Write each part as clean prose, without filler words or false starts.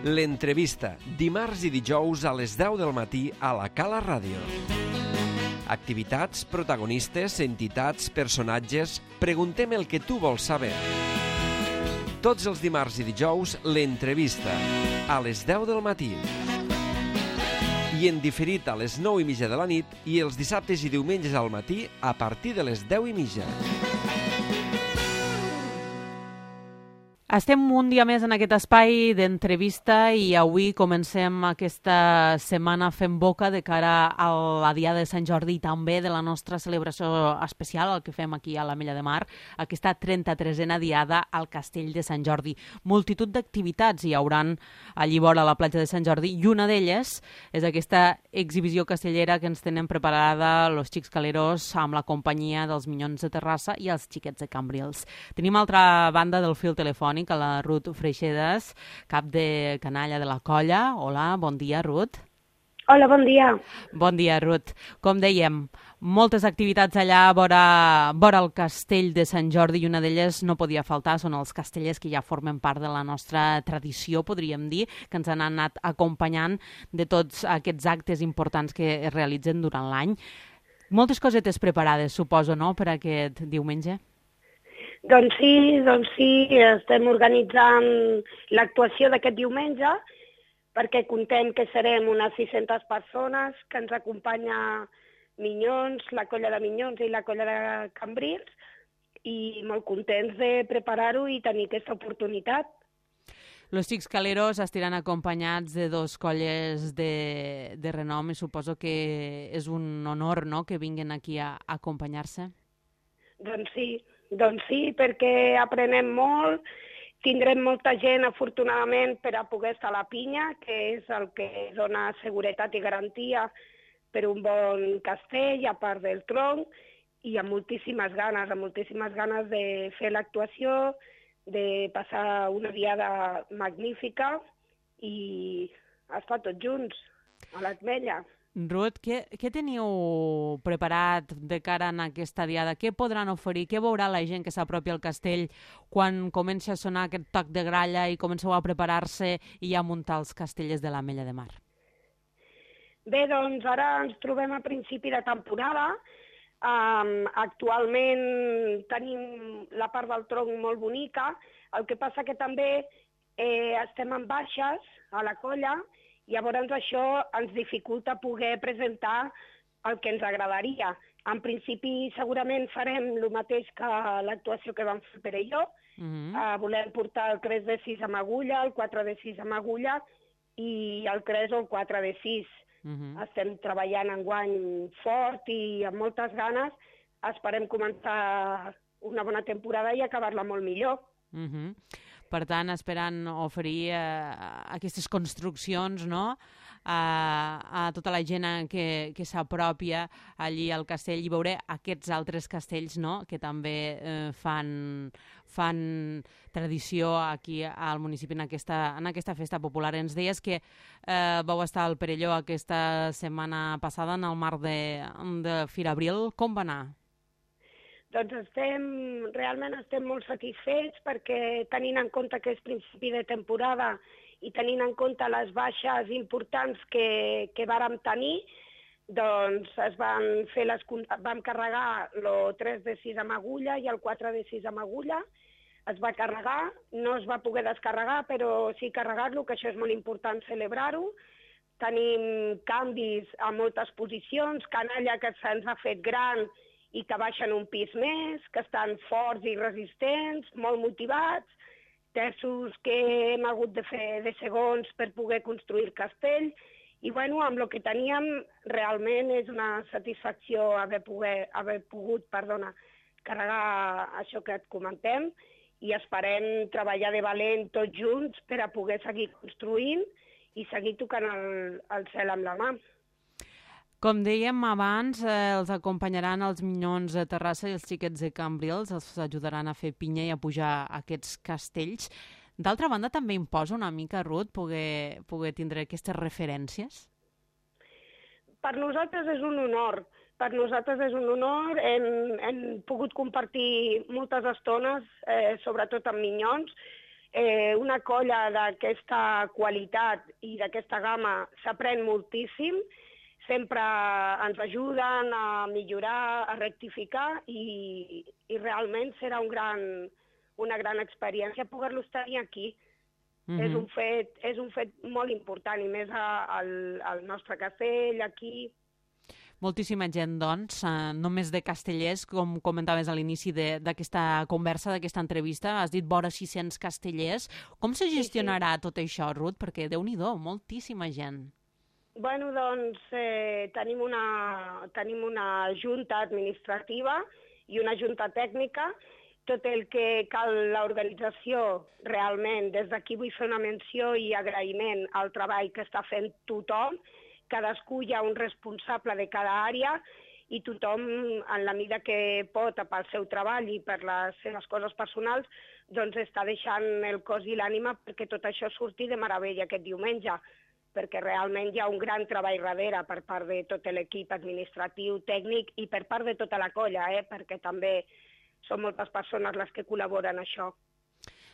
L'entrevista, dimarts i dijous a les 10 del matí a la Cala Ràdio. Activitats, protagonistes, entitats, personatges... Preguntem el que tu vols saber. Tots els dimarts i dijous, l'entrevista, a les 10 del matí. I en diferit a les 9:30 de la nit i els dissabtes i diumenges al matí a partir de les 10:30. Estem un dia més en aquest espai d'entrevista i avui comencem aquesta setmana fent boca de cara a la Diada de Sant Jordi i també de la nostra celebració especial, el que fem aquí a l'Ametlla de Mar, aquesta 33a Diada al Castell de Sant Jordi. Multitud d'activitats hi hauran allí vora a la platja de Sant Jordi i una d'elles és aquesta exhibició castellera que ens tenen preparada los Xics Caleros amb la companyia dels Minyons de Terrassa i els Xiquets de Cambrils. Tenim altra banda del fil telefònic a la Ruth Freixedas, cap de canalla de la colla. Hola, bon dia, Ruth. Hola, bon dia. Bon dia, Ruth. Com dèiem, moltes activitats allà vora el castell de Sant Jordi i una d'elles no podia faltar, són els castellers que ja formen part de la nostra tradició, podríem dir, que ens han anat acompanyant de tots aquests actes importants que es realitzen durant l'any. Moltes cosetes preparades, suposo, no?, per aquest diumenge? Doncs sí, estem organitzant l'actuació d'aquest diumenge perquè contem que serem unes 600 persones, que ens acompanya Minyons, la colla de Minyons i la colla de Cambrils, i molt contents de preparar-ho i tenir aquesta oportunitat. Los Xics Caleros estiran acompanyats de dos colles de renom i suposo que és un honor, no?, que vinguin aquí a acompanyar-se. Doncs sí, perquè aprenem molt, tindrem molta gent, afortunadament, per a poder estar a la pinya, que és el que dona seguretat i garantia per un bon castell, a part del tronc, i amb moltíssimes ganes de fer l'actuació, de passar una diada magnífica i estar tots junts a l'Ametlla. Ruth, què teniu preparat de cara a aquesta diada? Què podran oferir? Què veurà la gent que s'apropi al castell quan comenci a sonar aquest toc de gralla i comenceu a preparar-se i a muntar els castellers de l'Ametlla de Mar? Bé, doncs ara ens trobem a principi de temporada. Actualment tenim la part del tronc molt bonica, el que passa que també estem en baixes a la colla. Llavors això ens dificulta poder presentar el que ens agradaria. En principi segurament farem el mateix que l'actuació que vam fer Pere i jo. Volem portar el 3 de 6 amb agulla, el 4 de 6 amb agulla i el 3 o el 4 de 6. Estem treballant enguany fort i amb moltes ganes. Esperem començar una bona temporada i acabar-la molt millor. Per tant, esperant oferir aquestes construccions, no?, a tota la gent que s'apropia allí al castell i veure aquests altres castells, no?, que també fan tradició aquí al municipi en aquesta festa popular. Ens deies que vau estar al Perelló aquesta setmana passada en el marc de Fira Abril. Com va anar? Doncs realment estem molt satisfets perquè tenint en compte que és principi de temporada i tenint en compte les baixes importants que vàrem tenir, doncs vam carregar el 3 de 6 amb agulla i el 4 de 6 amb agulla. Es va carregar, no es va poder descarregar, però sí carregar-lo, que això és molt important celebrar-ho. Tenim canvis a moltes posicions, canalla que se'ns ha fet gran i que baixen un pis més, que estan forts i resistents, molt motivats, terços que hem hagut de fer de segons per poder construir el castell, i bueno, amb el que teníem realment és una satisfacció haver pogut carregar això que et comentem, i esperem treballar de valent tots junts per a poder seguir construint i seguir tocant el cel amb la mà. Com dèiem abans, els acompanyaran els Minyons de Terrassa i els Xiquets de Cambrils, els ajudaran a fer pinya i a pujar aquests castells. D'altra banda, també imposa una mica, Ruth, poder tindre aquestes referències? Per nosaltres és un honor. Hem pogut compartir moltes estones, sobretot amb Minyons, una colla d'aquesta qualitat i d'aquesta gamma s'aprèn moltíssim, sempre ens ajuden a millorar, a rectificar i realment serà una gran experiència poder-los tenir aquí. És un fet molt important, i més al nostre castell, aquí. Moltíssima gent, doncs, només de castellers, com comentaves a l'inici d'aquesta conversa, d'aquesta entrevista, has dit vora 600 castellers. Com se gestionarà tot això, Ruth? Perquè, Déu-n'hi-do, moltíssima gent. Bueno, doncs, tenim una junta administrativa i una junta tècnica. Tot el que cal l'organització, realment, des d'aquí vull fer una menció i agraïment al treball que està fent tothom. Cadascú hi ha un responsable de cada àrea i tothom, en la mida que pot, pel seu treball i per les seves coses personals, doncs està deixant el cos i l'ànima perquè tot això surti de meravella aquest diumenge, perquè realment hi ha un gran treball darrere per part de tot l'equip administratiu, tècnic i per part de tota la colla, perquè també són moltes persones les que col·laboren en això.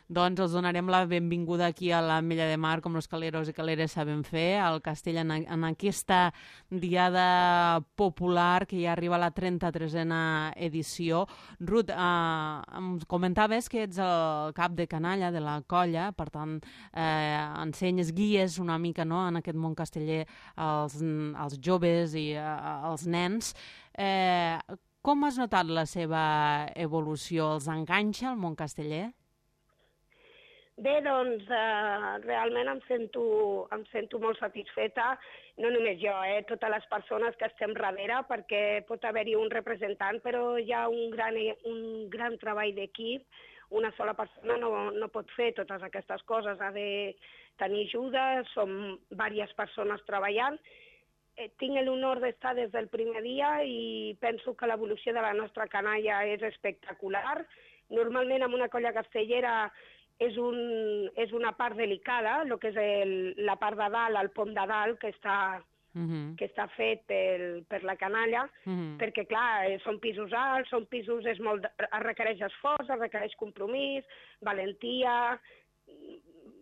Doncs els donarem la benvinguda aquí a l'Ametlla de Mar, com els caleros i caleres saben fer, al castell en aquesta diada popular que ja arriba a la 33a edició. Ruth, em comentaves que ets el cap de canalla de la colla, per tant, ensenyes, guies una mica, no?, en aquest món casteller als joves i als nens. Com has notat la seva evolució? Els enganxa el món casteller? Bé, doncs, realment em sento molt satisfeta, no només jo, totes les persones que estem darrere, perquè pot haver-hi un representant, però hi ha un gran treball d'equip. Una sola persona no pot fer totes aquestes coses, ha de tenir ajuda, som diverses persones treballant. Tinc l'honor d'estar des del primer dia i penso que l'evolució de la nostra canalla és espectacular. Normalment en una colla castellera és una part delicada, el que és la part de dalt, el pom de dalt, que està fet per la canalla, perquè, clar, són pisos alts, es requereix esforç, es requereix compromís, valentia,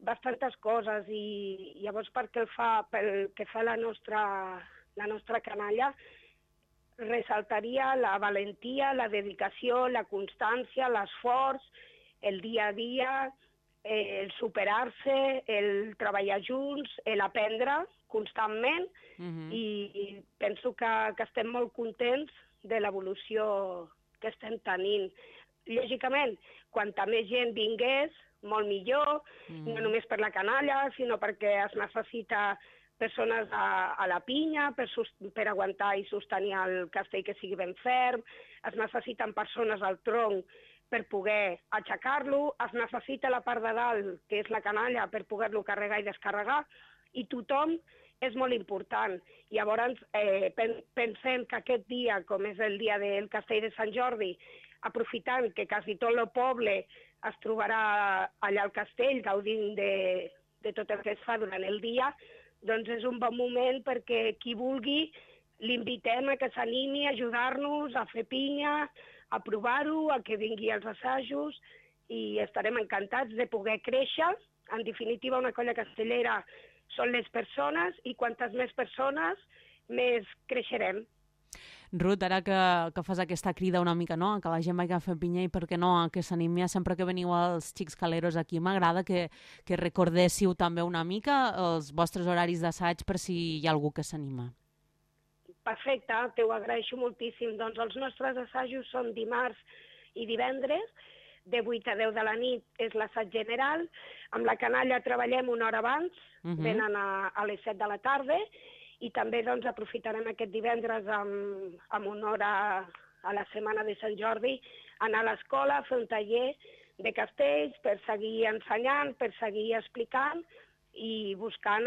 bastantes coses, i llavors pel que fa la nostra canalla, ressaltaria la valentia, la dedicació, la constància, l'esforç, el dia a dia, el superar-se, el treballar junts, l'aprendre constantment, i penso que estem molt contents de l'evolució que estem tenint. Lògicament, quanta més gent vingués, molt millor, no només per la canalla, sinó perquè es necessita persones a la pinya per aguantar i sostenir el castell que sigui ben ferm, es necessiten persones al tronc per poder aixecar-lo, es necessita la part de dalt, que és la canalla, per poder-lo carregar i descarregar, i tothom és molt important. Llavors, pensem que aquest dia, com és el dia del castell de Sant Jordi, aprofitant que quasi tot el poble es trobarà allà al castell, gaudint de tot el que es fa durant el dia, doncs és un bon moment perquè qui vulgui l'invitem a que s'animi a ajudar-nos, a fer pinya, a provar-ho, a que vingui als assajos, i estarem encantats de poder créixer. En definitiva, una colla castellera són les persones, i quantes més persones, més creixerem. Ruth, ara que fas aquesta crida una mica, no?, que la gent vagi a fer pinya i per què no, que s'animi sempre que veniu als Xics Caleros aquí. M'agrada que recordéssiu també una mica els vostres horaris d'assaig per si hi ha algú que s'anima. Perfecte, t'ho agraeixo moltíssim. Doncs els nostres assajos són dimarts i divendres, de 8 a 10 de la nit és l'assaig general. Amb la canalla treballem una hora abans, venen a les 7 de la tarda, i també doncs, aprofitarem aquest divendres amb una hora a la setmana de Sant Jordi, anar a l'escola a fer un taller de castells per seguir ensenyant, per seguir explicant i buscant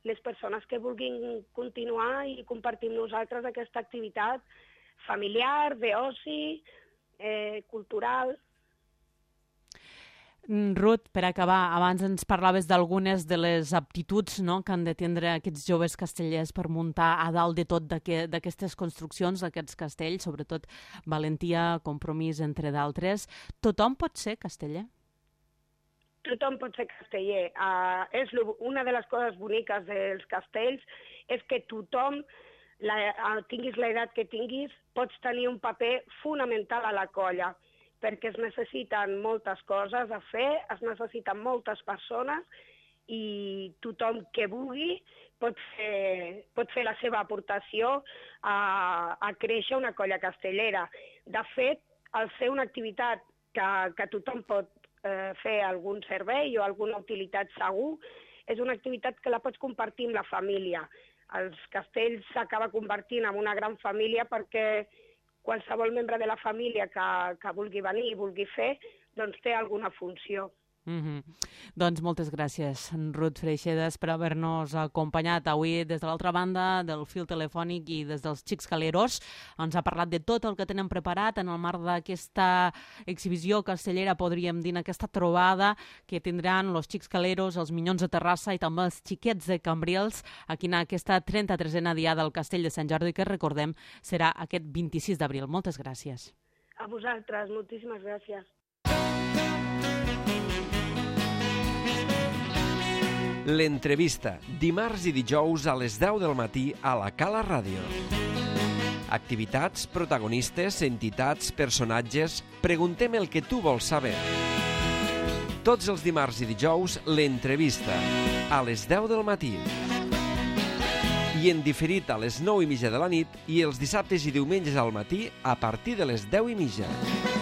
les persones que vulguin continuar i compartir amb nosaltres aquesta activitat familiar, d'oci, cultural. Ruth, per acabar, abans ens parlaves d'algunes de les aptituds, no?, que han de tindre aquests joves castellers per muntar a dalt de tot d'aquestes construccions, d'aquests castells, sobretot valentia, compromís, entre d'altres. Tothom pot ser casteller? tothom pot ser casteller. Una de les coses boniques dels castells és que tothom, tinguis l'edat que tinguis, pots tenir un paper fonamental a la colla, perquè es necessiten moltes coses a fer, es necessiten moltes persones i tothom que vulgui pot fer la seva aportació a créixer una colla castellera. De fet, al ser una activitat que tothom pot fer algun servei o alguna utilitat segur, és una activitat que la pots compartir amb la família. Els castells s'acaba convertint en una gran família perquè qualsevol membre de la família que vulgui venir i vulgui fer, doncs té alguna funció. Doncs moltes gràcies, Ruth Freixedas, per haver-nos acompanyat avui des de l'altra banda del fil telefònic i des dels Xics Caleros. Ens ha parlat de tot el que tenen preparat en el marc d'aquesta exhibició castellera, podríem dir, aquesta trobada que tindran els Xics Caleros, els Minyons de Terrassa i també els Xiquets de Cambrils aquí en aquesta 33a diada del Castell de Sant Jordi, que recordem serà aquest 26 d'abril. Moltes gràcies. A vosaltres, moltíssimes gràcies. L'entrevista, dimarts i dijous a les 10 del matí a la Cala Ràdio. Activitats, protagonistes, entitats, personatges... Preguntem el que tu vols saber. Tots els dimarts i dijous, l'entrevista, a les 10 del matí. I en diferit a les 9:30 de la nit i els dissabtes i diumenges al matí a partir de les 10:30.